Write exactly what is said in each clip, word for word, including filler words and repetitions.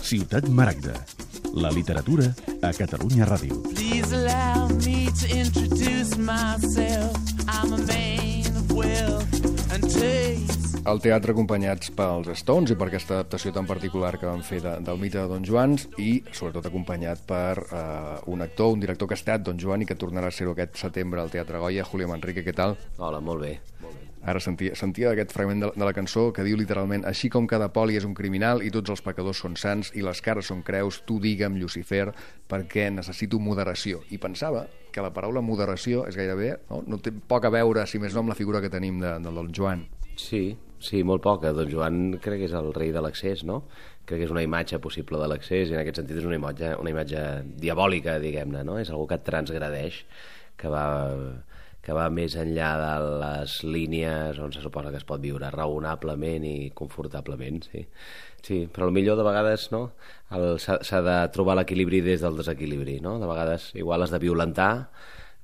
Ciutat Maragda. La literatura a Catalunya Ràdio. Please allow me to introduce myself. I'm a man of wealth and taste. Al teatre acompanyats pels Stones i per aquesta adaptació tan particular que van fer de, del mite de Don Joans i sobretot acompanyat per uh, un actor, un director que ha estat Don Joan i que tornarà a ser-ho aquest setembre al Teatre Goya. Julio Manrique, què tal? Hola, molt bé. Molt bé. Ara sentia, sentia aquest fragment de, de la cançó que diu literalment: així com cada poli és un criminal i tots els pecadors són sants i les cares són creus, tu digue'm, Llucifer, perquè necessito moderació. I pensava que la paraula moderació és gairebé, no, no té poc a veure, si més no, amb la figura que tenim de, de Don Joan. Sí, sí, molt poca. Don Joan crec que és el rei de l'accés, no? Crec que és una imatge possible de l'accés i en aquest sentit és una imatge, una imatge diabòlica, diguem-ne, no? És algú que et transgradeix, que va... que va més enllà de les línies on se suposa que es pot viure raonablement i confortablement, sí. Sí, però potser de vegades no, s'ha de trobar l'equilibri des del desequilibri, no? De vegades igual has de violentar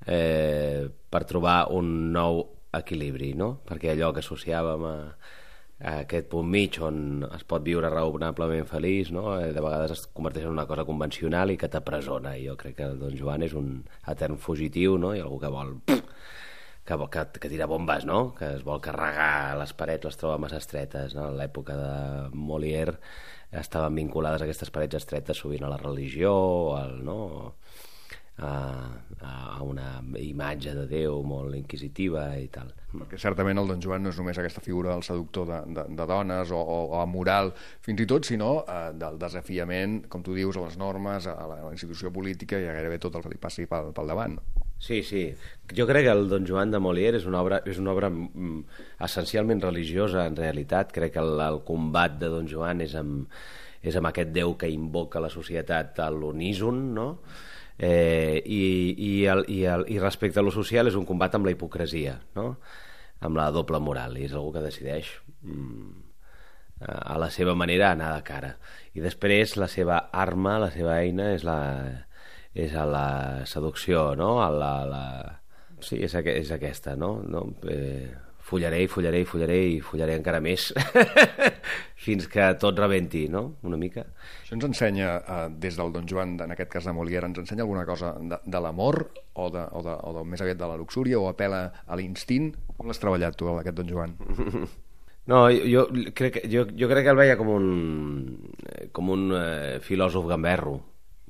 eh, per trobar un nou equilibri, no? Perquè allò que associàvem a, a aquest punt mig on es pot viure raonablement feliç, no? De vegades es converteix en una cosa convencional i que t'apresona. I jo crec que Don Joan és un etern fugitiu, no? I algú que vol... Que, que, que tira bombes, no? Que es vol carregar les parets, les troba massa estretes, no? En l'època de Molière estaven vinculades aquestes parets estretes sovint a la religió o al, no? a, a una imatge de Déu molt inquisitiva i tal. Perquè certament el Don Joan no és només aquesta figura del seductor de, de, de dones o, o, o amoral fins i tot, sinó eh, del desafiament, com tu dius, a les normes, a la, a la institució política i a gairebé tot el que li passi pel, pel davant. Sí, sí. Jo crec que el Don Joan de Molière és una obra, és una obra mm, essencialment religiosa, en realitat. Crec que el, el combat de Don Joan és amb, és amb aquest Déu que invoca la societat a l'uníson, no? Eh, i, i, el, i, el, i respecte a lo social és un combat amb la hipocresia, no? Amb la doble moral, i és algú que decideix mm, a la seva manera anar de cara. I després la seva arma, la seva eina és la... és a la seducció, no? A la, la... Sí, és, aqu és aquesta, no? no? Eh, follaré i follaré i follaré i follaré encara més fins que tot rebenti, no? Una mica. Això ens ensenya, eh, des del Don Joan, en aquest cas de Molière, ens ensenya alguna cosa de, de l'amor o, de, o, de, o de, més aviat de la luxúria o apel·la a l'instint? Com l'has treballat tu, aquest Don Joan? No, jo, jo, crec, jo, jo crec que el veia com un, com un eh, filòsof gamberro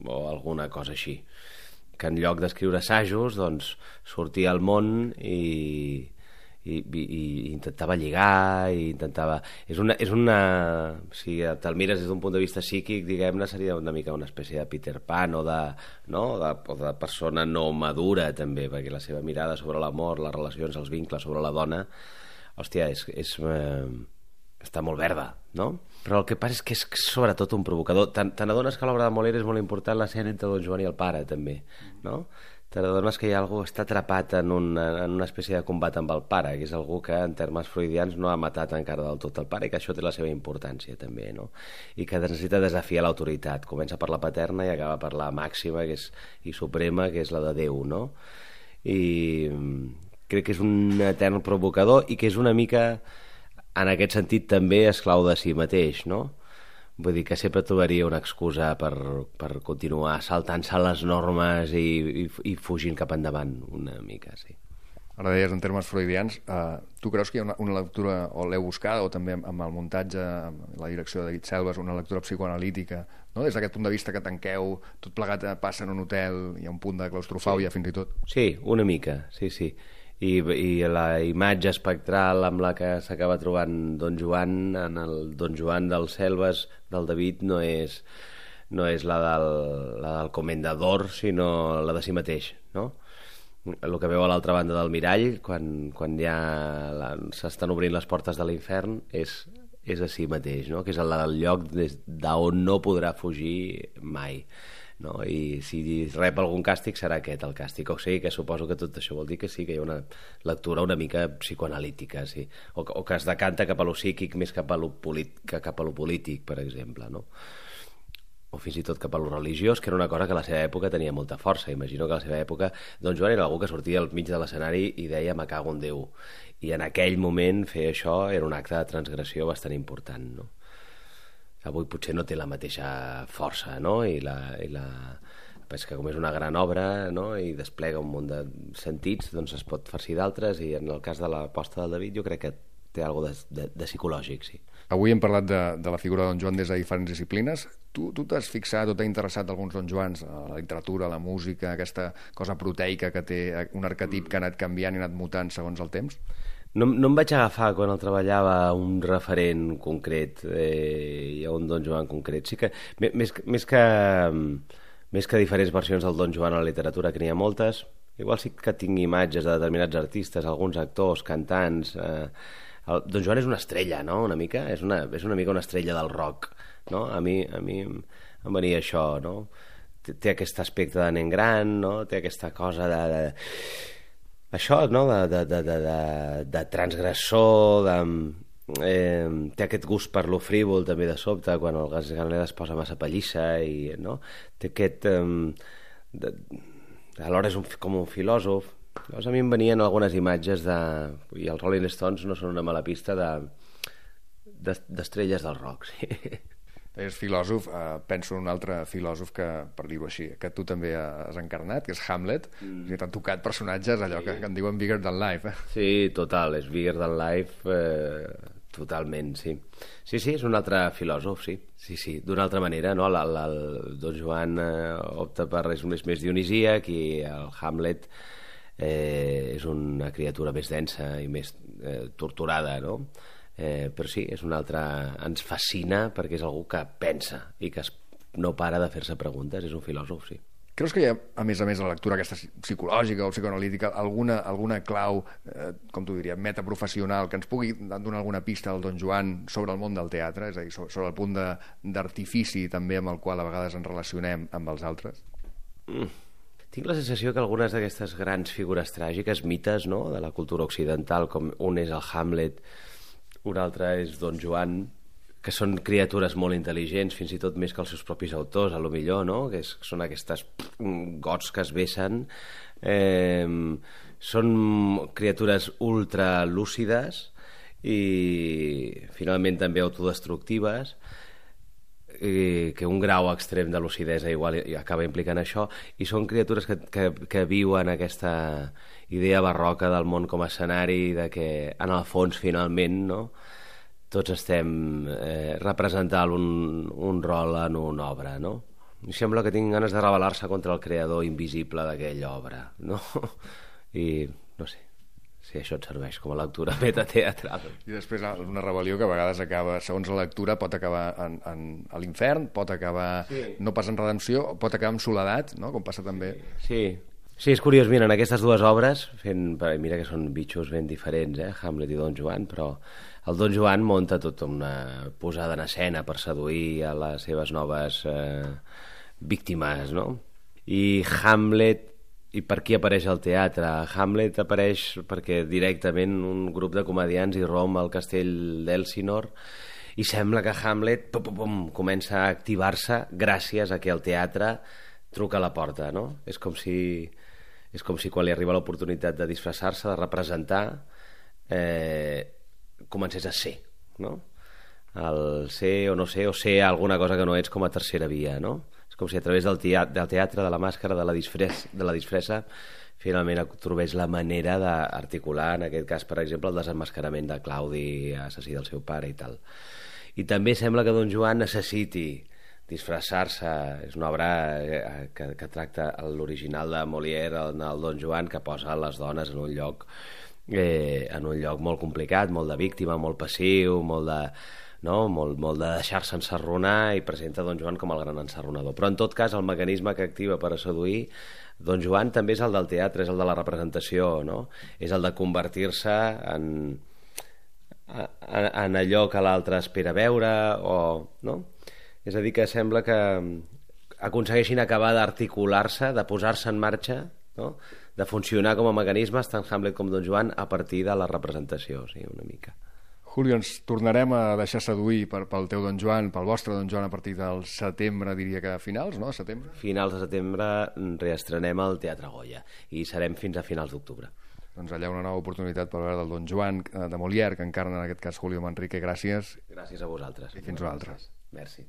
o alguna cosa així, que en lloc d'escriure assajos doncs sortia al món i, i, i, i intentava lligar i intentava... És una, és una... si te'l mires des d'un punt de vista psíquic, diguem-ne, seria una mica una espècie de Peter Pan o de, no? de, o de persona no madura també, perquè la seva mirada sobre l'amor, les relacions, els vincles sobre la dona, hòstia, és... és eh, està molt verda, no? Però el que passa és que és sobretot un provocador. Te n'adones que l'obra de Molière és molt important l'escena entre Don Joan i el pare, també, no? Te n'adones que hi ha algú que està atrapat en una, en una espècie de combat amb el pare, que és algú que, en termes freudians, no ha matat encara del tot el pare, i que això té la seva importància, també, no? I que necessita desafiar l'autoritat. Comença per la paterna i acaba per la màxima que és, i suprema, que és la de Déu, no? I crec que és un etern provocador i que és una mica... en aquest sentit també esclau de si mateix, no? Vull dir que sempre trobaria una excusa per, per continuar saltant-se les normes i, i, i fugint cap endavant una mica, sí. Ara deies, en termes freudians, eh, tu creus que hi ha una, una lectura, o l'heu buscat, o també amb el muntatge, amb la direcció de David Selves, una lectura psicoanalítica, no? Des d'aquest punt de vista que tanqueu, tot plegat passa en un hotel, hi ha un punt de claustrofòbia, sí. Fins i tot. Sí, una mica, sí, sí. I, i la imatge espectral amb la que s'acaba trobant Don Joan en el Don Joan dels Selves del David no és, no és la, del, la del comendador, sinó la de si mateix, no? El que veu a l'altra banda del mirall quan, quan ja s'estan obrint les portes de l'infern és, és a si mateix, no? Que és el, el lloc d'on no podrà fugir mai, no? I si rep algun càstig serà aquest el càstig, o sigui que suposo que tot això vol dir que sí que hi ha una lectura una mica psicoanalítica, sí. o, o que es decanta cap a lo psíquic més cap a lo, que cap a lo polític, per exemple, no? O fins i tot cap a lo religiós, que era una cosa que a la seva època tenia molta força. Imagino que a la seva època Don Joan era algú que sortia al mig de l'escenari i deia me cago en Déu, i en aquell moment fer això era un acte de transgressió bastant important, no? avui potser no té la mateixa força, no? I la... I la... és que com és una gran obra, no? I desplega un munt de sentits, doncs es pot farcir d'altres, i en el cas de l'aposta del David jo crec que té alguna cosa de, de, de psicològic, sí. Avui hem parlat de, de la figura de Don Joan des de diferents disciplines. Tu tu t'has fixat o t'ha interessat alguns Don Joans, la literatura, la música, aquesta cosa proteica que té un arquetip que ha anat canviant i ha anat mutant segons el temps? No, no em vaig agafar quan el treballava un referent concret eh, i a un Don Joan concret. Sí que, més, més que... Més que diferents versions del Don Joan a la literatura, que n'hi ha moltes, igual sí que tinc imatges de determinats artistes, alguns actors, cantants... Eh, el Don Joan és una estrella, no?, una mica? És una, és una mica una estrella del rock, no? A mi, a mi em venia això, no? Té, té aquest aspecte de nen gran, no? Té aquesta cosa de... de... Això, no?, de, de, de, de, de, de transgressor, de... Eh, té aquest gust per lo frívol també de sobte quan el Gasganelli es posa massa pallissa i, no? Té aquest eh, de, alhora és un, com un filòsof. Llavors a mi em venien algunes imatges de, i els Rolling Stones no són una mala pista de d'estrelles del rock, sí. És filòsof, eh, penso en un altre filòsof que, per dir-ho així, que tu també has encarnat, que és Hamlet. Mm. I t'han tocat personatges, allò sí. que, que en diuen bigger than life. Eh? Sí, total, és bigger than life, eh, totalment, sí. Sí, sí, és un altre filòsof, sí. Sí, sí, d'una altra manera, no? El, el, el Don Joan eh, opta per res més, més dionisíac i el Hamlet eh, és una criatura més densa i més eh, torturada, no? Eh, però sí, és un altre... ens fascina perquè és algú que pensa i que es, no para de fer-se preguntes, és un filòsof, sí. Creus que hi ha, a més a més, a la lectura aquesta psicològica o psicoanalítica, alguna, alguna clau, eh, com tu diries, metaprofessional, que ens pugui donar alguna pista al Don Joan sobre el món del teatre, és a dir, sobre el punt d'artifici també amb el qual a vegades ens relacionem amb els altres? Mm. Tinc la sensació que algunes d'aquestes grans figures tràgiques, mites, no?, de la cultura occidental, com un és el Hamlet, un altre és Don Joan, que són criatures molt intel·ligents, fins i tot més que els seus propis autors, a lo millor, no? Que és, són aquestes gots que es vessen. Eh, són criatures ultralúcides i finalment també autodestructives, i que un grau extrem de lucidesa igual acaba implicant això, i són criatures que, que, que viuen aquesta idea barroca del món com a escenari, de que en el fons finalment, no?, tots estem eh, representant un, un rol en una obra, no? Em sembla que tinc ganes de rebel·lar-se contra el creador invisible d'aquella obra, no? I no sé si això et serveix com a lectura metateatral. I després una rebel·lió que a vegades acaba, segons la lectura, pot acabar en, en, a l'infern, pot acabar sí. no pas en redempció, pot acabar en soledat, no?, com passa també... Sí, sí, és curiós, mira, en aquestes dues obres, fent, mira que són bitxos ben diferents, eh, Hamlet i Don Joan, però el Don Joan munta tota una posada en escena per seduir a les seves noves eh, víctimes, no? I Hamlet, i per qui apareix al teatre? Hamlet apareix perquè directament un grup de comedians irromp al castell d'Elsinore i sembla que Hamlet pum, pum, pum, comença a activar-se gràcies a que el teatre truca a la porta, no? És com si, és com si quan li arriba l'oportunitat de disfressar-se, de representar, eh, comencés a ser, no? El ser o no ser, o ser alguna cosa que no ets com a tercera via, no? És com si a través del teatre, del teatre de la màscara, de la, disfressa, de la disfressa, finalment trobés la manera d'articular, en aquest cas, per exemple, el desemmascarament de Claudi, assassí del seu pare i tal. I també sembla que Don Joan necessiti disfressar-se. És una obra que, que tracta l'original de Molière, el, el Don Joan, que posa les dones en un lloc eh, en un lloc molt complicat, molt de víctima, molt passiu, molt de, no? molt, molt de deixar-se ensarronar, i presenta Don Joan com el gran ensarronador. Però en tot cas el mecanisme que activa per a seduir Don Joan també és el del teatre, és el de la representació, no? És el de convertir-se en, en, en allò que l'altre espera veure, o, no? És a dir, que sembla que aconsegueixin acabar d'articular-se, de posar-se en marxa, no? De funcionar com a mecanismes, tant Hamlet com Don Joan, a partir de la representació, sí, una mica. Julio, ens tornarem a deixar seduir per, pel teu Don Joan, pel vostre Don Joan, a partir del setembre, diria que a finals, no?, setembre? Finals de setembre reestrenem al Teatre Goya i serem fins a finals d'octubre. Doncs allà una nova oportunitat per veure del Don Joan de Molière, que encarna en aquest cas Julio Manrique. Gràcies. Gràcies a vosaltres. I fins una altra. Merci.